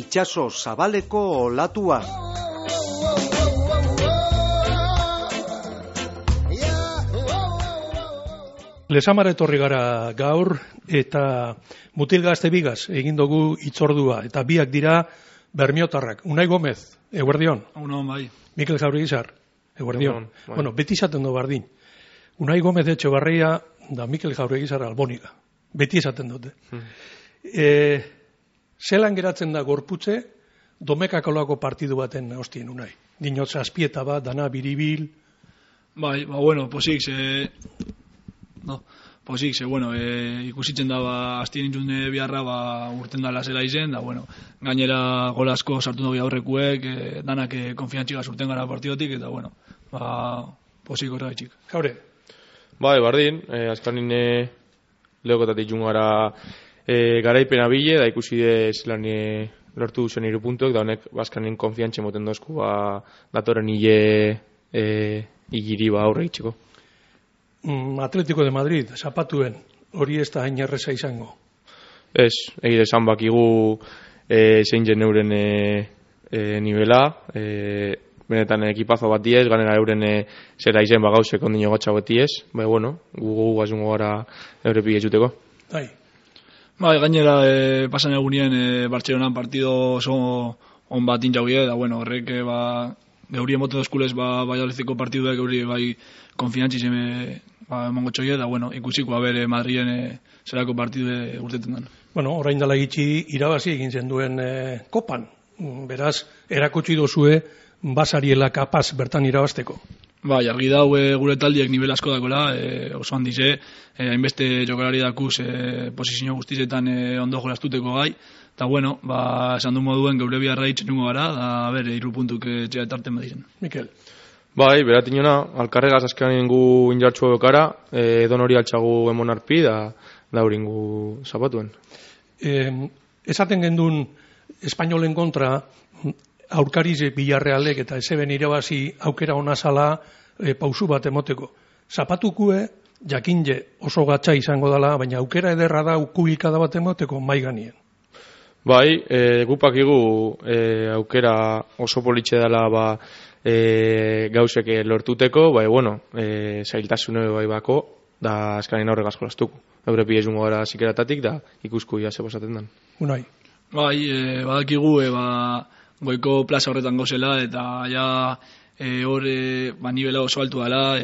itsaso zabaleko olatua. Lesamara etorri gara gaur eta mutil gazte bigaz egin dugu itzordua eta biak dira bermiotarrak. Unai Gomez, eguerdion. Bai. Mikel Jauregizar, eguerdion. Bueno, beti izaten du bardin. Unai Gomez Etxebarria da Mikel Jauregizar Alboniga. Beti esaten dute. Zelan geratzen da gorputze domekakolako partidu baten hostien Unai. Dinot zazpieta bat, dana biribil. Bai, bueno, posik, ikusitzen da, aztien intzun biharra, urten dala zela izen, da, bueno, gainera gol asko sartu dugu aurrekuek, danak konfiantxigaz urten gara partidotik, eta, bueno, posik horregaitxik. Jaure? Bai, bardin, azkanin lehokotatik jungara garaipena bile, da ikusi dez lan lortu zen 3 puntuek, da honek azkanin konfiantxe moten dozku, datoren hile igiri aurre itxeko. Atletico de Madrid, zapatuen, hori ez da hain erreza izango. Ez, egide esan bakigu zein jen euren nivela, benetan ekipazo bat diez, ganera euren zera izen bagauzek ondino gatsa bat diez, bai, bueno, gugu gazungo gara eure pide juteko. Bai, gainera pasan egunien Bartzelonan partido oso on bat intxaugie, da, bueno, horrek geurien bote dozkulez baialeziko partiduak geuri bai konfiantzi zeme emango txoie, da, bueno, ikusiko bere Madrien zerako partidu urtetan den. Bueno, orain dela gitxi irabazi egin zen duen kopan. Beraz, erakutsi dozue basariela kapaz bertan irabazteko. Bai, argi dau gure taldiek nivel asko dakola, oso handize, hainbeste jokalari dakuz posizio guztizetan ondo jolastuteko gai, eta bueno, esan du moduen geure biharra itxenungo gara, da bere 3 puntuk txea etarten badiren. Mikel? Bai, beratinona, alkarregaz azkenan ingu injartxua bekara, edon hori altxagu emon arpi, da hori ingu zapatuen. Esaten gendun espainolen kontra, aurkariz Bilarrealek eta ezeben irabazi aukera onazala pausu bat emoteko. Zapatukue, jakinje oso gatsa izango dela, baina aukera ederra da kubilkada bat emoteko mai ganien. Bai, gupakigu aukera oso politxe dela gauzek lortuteko, bai, bueno, zailtasune bai bako, da azkanin aurre gazko lastuko. Eure pidezungo gara zikeratatik, da ikusku ia zebosaten den. Unai? Bai, badakigu, goiko plaza horretan gozela, eta ja hor nivela oso altu dela,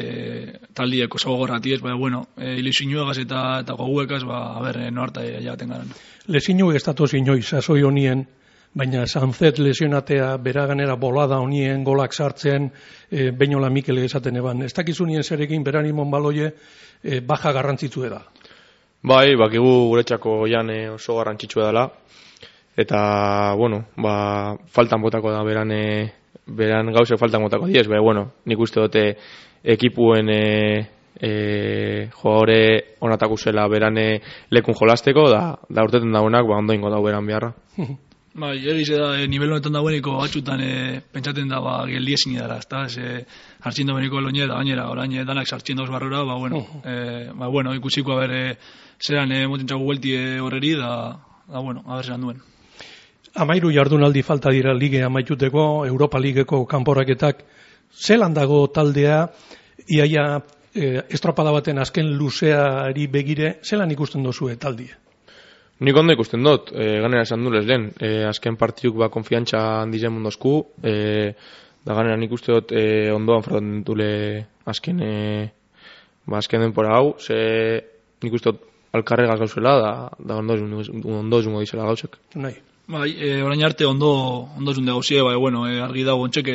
taldiek oso gogorratiez, bai, bueno, ilusinuegaz eta goguekaz, noarta jaten garen. Lesinu ez datoz inoiz, sasoi honien, baina Sanzet lesionatea beraganera bolada honien, golak sartzen, Beñola Mikel esaten eban. Ez dakizunien zerekin beranimon baloie baja garrantzitzu da. Bai, bakigu guretzako jan oso garrantzitsu dela. Eta, bueno, faltan botako da beran gauzek faltan botako diez, bueno, nik uste dute ekipuen jogaure onatako zela beran lekun jolasteko, da urteten daunak, ondo ingo dau beran beharra. Bai, egize da, nivel honetan daueniko batxutan pentsaten da, geldiezin dara, hartzien daueniko loine, da gainera, orain danak sartzien dauz barrora, bueno, ikusiko zeran motentxago guelti horreri, da, bueno, zeran duen. 13 jardunaldi falta dira lige amaituteko, Europa Ligeko kanporaketak, zelan dago taldea, iaia estropada baten azken luzeari begire, zelan ikusten dozue taldie? Nik ondo ikusten dut, ganera esan dulez lehen, azken partiduk konfiantza handizen mundozku, da ganera nik uste dut ondoan fraten dule azken denpora hau, nik uste dut alkarregaz gauzela, da ondo zungo dizela gauzek. Nahi. Bai, orain arte ondo zunde gauzie, bueno, argi dago ontxek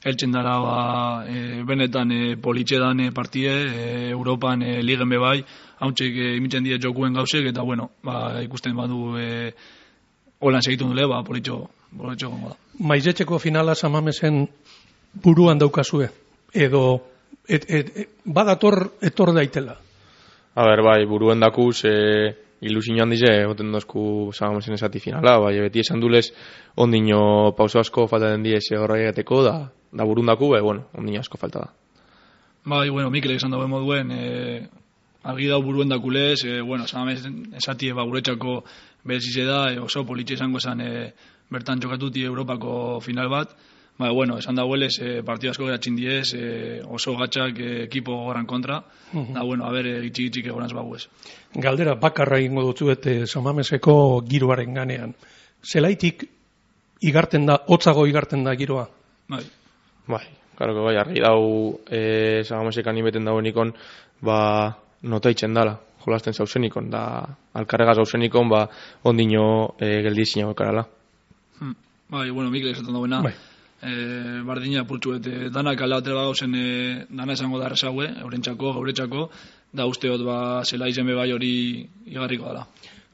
eltzen dara benetan politxe dan partide, Europan ligen bebai, hauntxek imitzen die jokuen gauzek, eta bueno, ikusten badu holan segitun dule, politxo gongo da. Maizetxeko finala Samamesen buruan daukazue, edo badator etor daitela? Bai, buruen dakuz ilusio handize, goten dozku Samamesen esati finala, beti esan dulez ondino pauso asko falta den diez horra egateko, da burundaku, bueno, ondino asko falta da. Bai, bueno, Mikelek esan dago moduen, argi dau buruen dakulez, bueno, Samamesen esati guretxako berezize da, oso politxe izango esan bertan jokatuti Europako final bat, bueno, esan da huelez, partidu asko geratxin diez, oso gatxak ekipo goran kontra, da, bueno, gitxik egoranz baguez. Galdera bakarra ingo dutzuet Samameseko giroaren ganean. Zelaitik igarten da, hotzago igarten da giroa? Bai, karo que bai, argi dau Samamesekan ibeten dauenikon, notaitzen dala, jolasten zauzenikon, da alkarregaz zauzenikon, ondino geldizina okarala. Bai, bueno, Mikel esaten dauena, bardina pultxuet, danak alde bat gauzen, dana esango da errezaue, eurentzako, gauretzako, da usteot zela izen bai hori igarriko dela.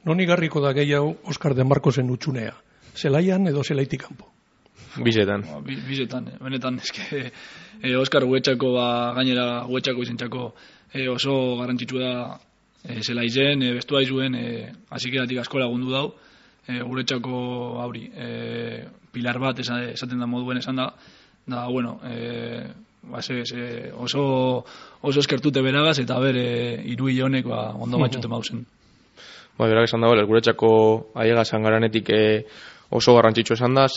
Non igarriko da gehiago Oskar de Marcosen utxunea? Zelaian edo zelaitik kanpo? Bizetan. Bizetan, benetan, eske Oskar guetxako, gainera guetxako izentzako oso garrantzitsu da zela izen, bestua izuen, azikeratik asko lagundu dau, guretxako hauri, pilar bat esaten da moduen esan da, bueno, oso eskertute beragaz, eta hiru honek ondo matxoten mauzen. Berak esan da, guretxako aiega zangaranetik oso garrantzitsu esan da,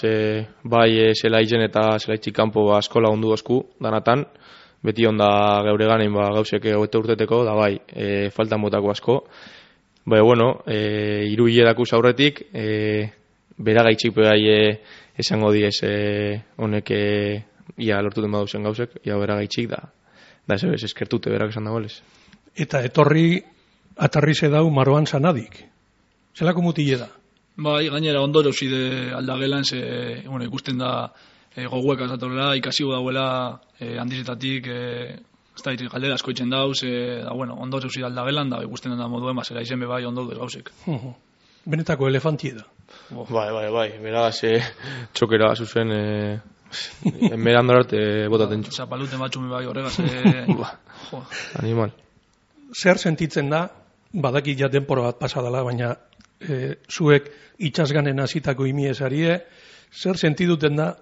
bai zela izen eta zelaitzik kanpo asko lagundu dozku, danatan, beti onda geure ganein gauzek hogeita urteteko, da bai, faltan botako asko. Bueno, hiru hilerako aurretik, beragaitxik bai esango diez honek ia lortuten baduzen gauzek, ia beragaitxik da ez eskertute berak esan dagoelez. Eta etorri atarri zedau Maroan Sanadik. Zelako mutile da? Bai, gainera ondo jauzide aldagelan, ikusten da goguek azatorela, ikasigo dauela handizetatik, galdera asko itzen dauz, da bueno, ondo jauzide aldagelan, da ikusten da moduen, zela izen bai ondo duz gauzek. Benetako elefantie da. Bai, beragaz txokera zuzen, enmeran dorarte botaten txu. Zapaluten batxumi bai horregaz. Animal. Zer sentitzen da, badaki ja denpora bat pasadala, baina zuek itxasganen hasitako imiesarie, zer sentiduten da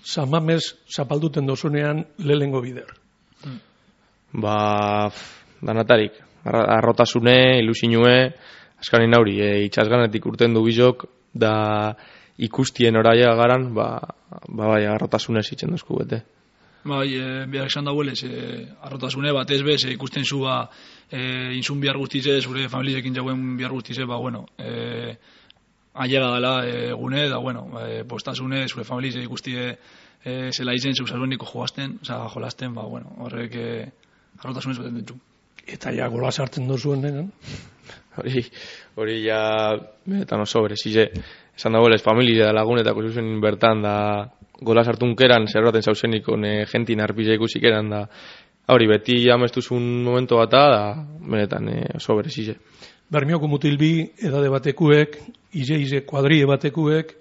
Samames zapalduten dozunean lehengo bider? Danatarik. Arrotasune, ilusinue, askarin hauri, itxasganetik urten du bizok, da ikustien oraia garan, bai, arrotasune zitzen duzku bete. Bai, behar esan dauelez, arrotasune bat ez bez, ikusten zu inzun bihar guztize, zure familiekin jauen bihar guztize, bueno, ailega dela gune, da, bueno, postasune, zure familie ikustie zela izen, zeu salbeniko jolasten, bueno, horrek arrotasunez baten ditu. Eta ja gola sartzen dozuen denan? Hori ja, benetan oso berezize, esan dagoelez, familia da lagunetako zuzen bertan, da gola sartunkeran, zerbaten zauzenikon jentin arpizia ikusik eran, da hori beti amestuzun momento bata, da benetan oso berezize. Bermioko mutilbi edade batekuek, ize kuadrie batekuek,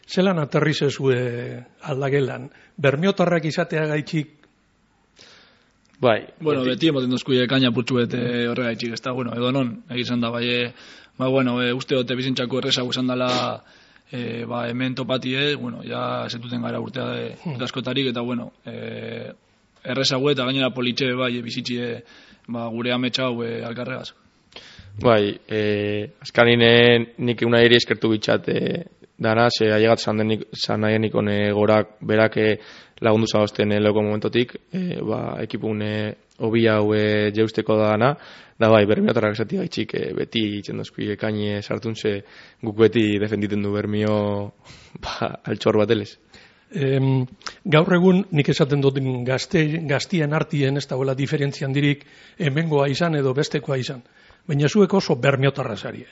zelan aterrizezue aldagelan? Bermiotarrak izatea gaitxik? Bai. Bueno, beti emoten dozkuie kaina putxuet horrega gaitxik, ez da, bueno, edo non, egizan da, bai, bueno, uste dote bizintzako errezago esan dela, hemen topatie, bueno, ja zetuten gara urtea eta askotarik, eta, bueno, errezago eta gainera politxe, bai, bizitxie, gure ametxau alkarregaz. Bai, azkaninen nik una eri eskertu bitxat dana, ze aiegat zan nahienikon gorak berak lagundu zagozten leuko momentotik, ekipun hobi hau jeusteko dana, da bai, Bermiotarrak esati gaitxik beti itzen dozkui ekaini sartun, ze guk beti defenditen du Bermio altxor bat elez. Gaur egun nik esaten dut gaztien artien ez dagoela diferentzian dirik hemengoa izan edo bestekoa izan. Baina zuek oso Bermiotarra zarie.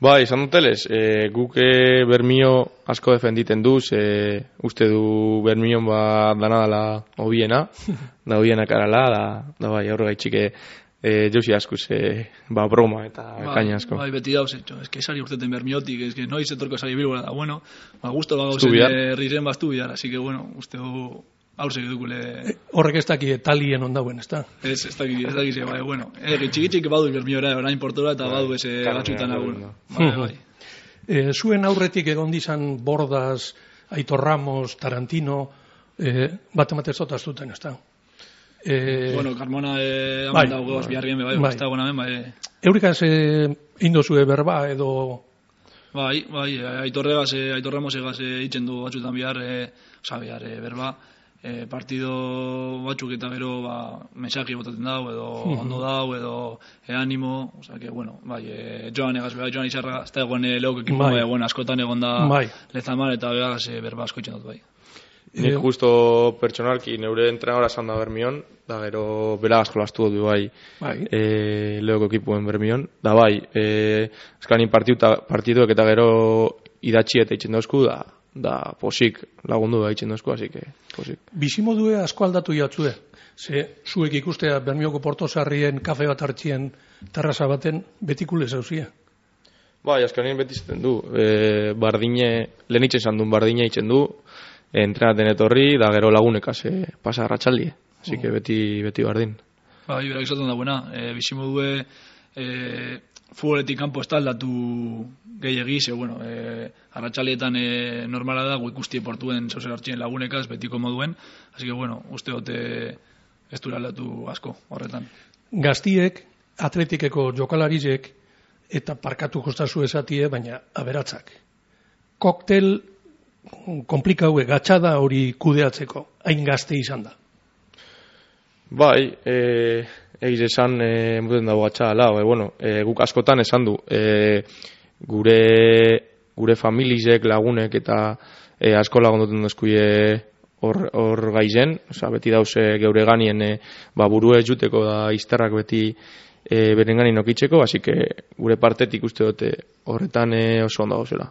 Bai, izan dutelez, guk Bermio asko defenditen duz, uste du Bermion dana dela hobiena, da hobienak arala, da bai, aurre gaitxik jauzi askuz, broma eta kaina asko. Bai, beti dauz, eske esari urteten Bermiotik, eske noiz etorko esari bilbora da, bueno, gusto bagauzen herriren baztu bihar, así que, bueno, uste du haursek edukule... Horrek ez daki talien ondauen, ez da? Ez daki, bai, bueno. Txiki badu Bermiora, orain portora, eta badu eze batxutan agun. Zuen aurretik egon dizan Bordas, Aitor Ramos, Tarantino, bat ematez dut aztuten, ez da? Bueno, Carmona haman dago goz biharrien, bai, ez da gona ben, bai. Eurikaz indozue berba edo... Bai, Aitor Ramosegaz itzen du batzutan bihar, berba, partido batzuk eta gero mensaje botatzen dau, edo ondo dau, edo animo, que, bueno, Joan Izarra, ez da egon leok ekipo, askotan egon da Lezamar, eta berba asko itzen dut, bai. Nik justo pertsonalki neure entrenadora esan da Bermion, da gero beragaz jolastu dut leoko ekipuen Bermion, da eskanin partiduek eta gero idatzi eta itzen dauzku, da posik lagundu da itzen dauzku, así que posik. Bizimodue asko aldatu jatzue, zuek ikustea Bermioko Portosarrien kafe bat hartzien terraza baten betikule zauzia. Askanin beti zaten du, bardine, lehen itzen zandun bardine itzen du, entrenaten etorri, da gero lagunekaz pasa arratsaldie. Así que beti bardin. Berak izaten da buena. Bizimodue futboletik kanpo ez da aldatu gehiagiz, arratsaldietan normala da, ikusti portuen zauzer hartzien lagunekaz, betiko moduen. Así que, uste dote ez dura aldatu asko horretan. Gaztiek, atletikeko jokalarizek, eta parkatu jostazu esatie, baina aberatzak. Koktel komplikaue, gatxada hori kudeatzeko, hain gazte izan da. Egiz esan, muten dago gatxada, guk askotan esan du, gure familizek, lagunek eta asko lagunduten duzkuie hor gaizen, beti dauze geure ganien burue juteko da izterrak beti beren ganin okitzeko, así que gure partetik uste dute horretan oso ondo gauzela.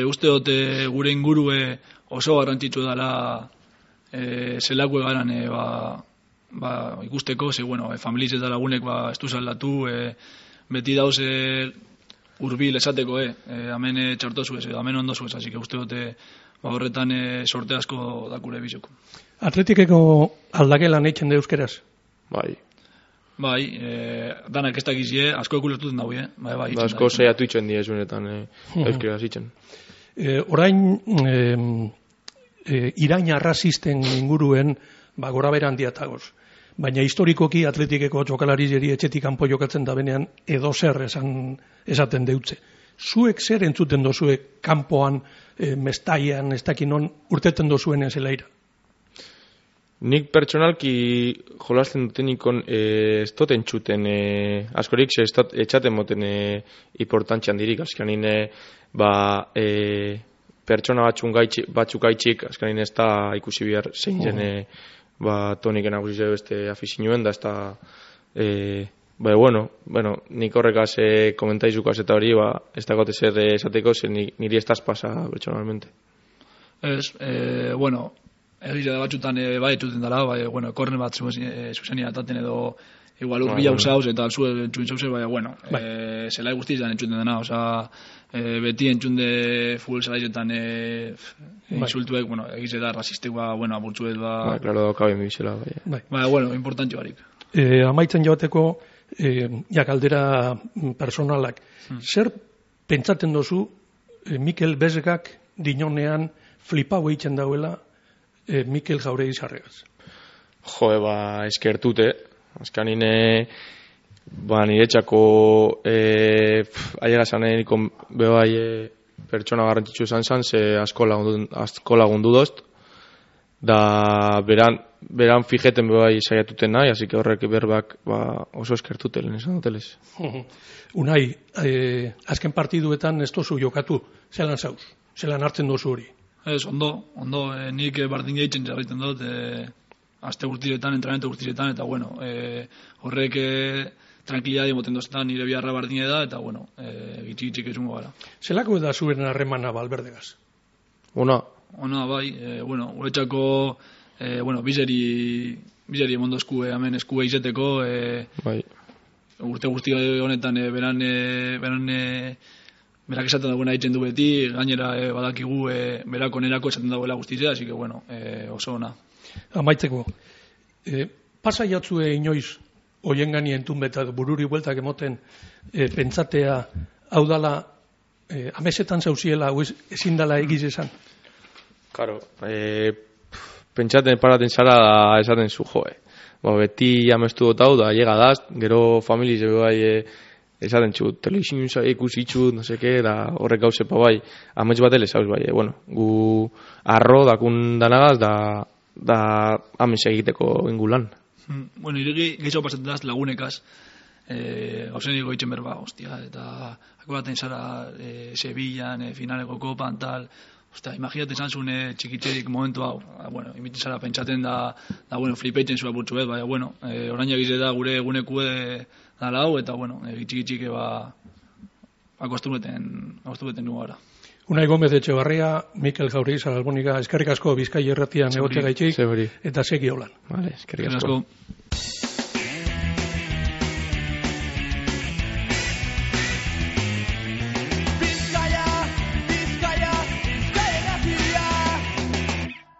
Uste dute gure ingurue oso garrantzitsu dela zelako egaran ikusteko, familiz eta lagunek ez du zaldatu, beti dauz urbil esateko, hemen txartozu ez, hemen ondozu ez, así que uste dute horretan sorte asko dakure bizoko. Atletikeko aldagelan eitzen da euskeraz? Danak ez dakizie, asko ekulertuten daui, asko zeiatu itzen die zuenetan euskeraz itzen. Orain irain arrazisten inguruen gora bera handiatagoz. Baina historikoki atletikeko jokalariari etxetik kanpo jokatzen da benean edo zer esaten deutze. Zuek zer entzuten dozuek kanpoan, mestaian, ez dakinon urteten dozuen zelaira? Nik pertsonalki jolasten dutenikon ez doten txuten askorik etxaten moten importantzian dirik, azkanin pertsona batzuk gaitxik, azkanin ez da ikusi bihar zein zen toniken agusizio beste afizinuen, da ez da nik horrekaz komentaizukaz eta hori ez da gote zer esateko, zer niri ez daz pasa pertsonalmente. Egize da batxutan etxuten dara, korne bat zuzenia ataten edo igual urbila usauz eta alzue entxuen zauze, zelai guztiz da entxuten dena, beti entxunde futbol zelaizetan insultuek, egize da rasistek aburtzuet Claro, kabe mi bizela, importantio barik. Amaitzen joateko, galdera personalak, zer pentsaten dozu Mikel Bezgak dinonean flipau egiten dauela Mikel Jauregi Sarregaz? Eskertute. Azkanin niretxako ailegazan nikon bebai pertsona garrantzitsu esan zan, ze asko lagundu dozt, da beran fijeten bebai saiatuten nahi, así que horrek berbak oso eskertute lehen esan dutelez. Unai, azken partiduetan ez dozu jokatu, zelan zauz, zelan hartzen dozu hori? Ez, ondo, nik bardin gehitzen jarraiten dut, aste guztiretan, entrenamente guztiretan, eta horrek tranquilidade moten doztan nire biharra bardine da, eta gitxik ezungo gara. Zelako da zuen harremana Valverdegaz? Ona, uretxako, bizeri emondo eskue, hemen eskue izeteko, urte guzti honetan berak esaten dagoena egiten du beti, gainera badakigu berako nerako esaten dagoela guztizea, así que oso ona. Amaitzeko, pasa jatzue inoiz oien gani entun beta bururi bueltak emoten pentsatea hau dala amesetan zauziela ezin dala egiz esan? Karo, pentsaten paraten zara da esaten zu beti amestu dut hau da llega daz, gero familiz esaten txut, telebizin ikusi txut, no seke, da horrek gauzepa bai, amets bat elezauz bai, gu arro dakun danagaz, da amets egiteko ingulan. Bueno, iregi gehiago pasatzen daz lagunekaz, gauzen digo itxen berba, hostia, eta akuraten zara Sevillan, finaleko kopan, tal, hostia, imaginate izan zuen txikitzerik momentu hau, bueno, imitzen zara pentsaten da bueno, flipeitzen zua burtsu bet, baina, bueno, orain egize da gure egunekue dala hau, eta, bueno, txiki akostumeten nugu gara. Unai Gomez Etxebarria, Mikel Jauriz, Albonika, eskerrik asko Bizkai Irratian egote gaitxik, eta segi holan. Vale, eskerrik asko.